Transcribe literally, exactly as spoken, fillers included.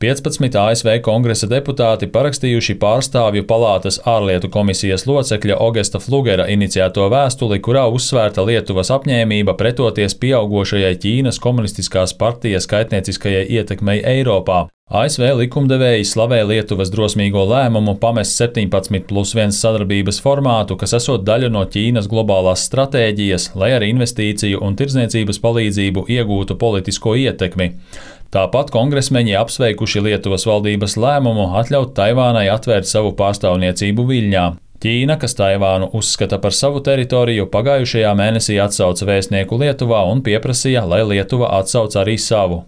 piecpadsmit A S V kongresa deputāti parakstījuši pārstāvju palātas ārlietu komisijas locekļa Ogesta Flugera iniciēto vēstuli, kurā uzsvērta Lietuvas apņēmība pretoties pieaugošajai Ķīnas komunistiskās partijas kaitnieciskajai ietekmei Eiropā. A S V likumdevēji slavē Lietuvas drosmīgo lēmumu pamest septiņpadsmit plus viens sadarbības formātu, kas esot daļa no Ķīnas globālās stratēģijas, lai ar investīciju un tirdzniecības palīdzību iegūtu politisko ietekmi. Tāpat kongresmeņi apsveikuši Lietuvas valdības lēmumu atļaut Taivānai atvērt savu pārstāvniecību Viļņā. Ķīna, kas Taivānu uzskata par savu teritoriju, pagājušajā mēnesī atsauca vēstnieku Lietuvā un pieprasīja, lai Lietuva atsauc arī savu.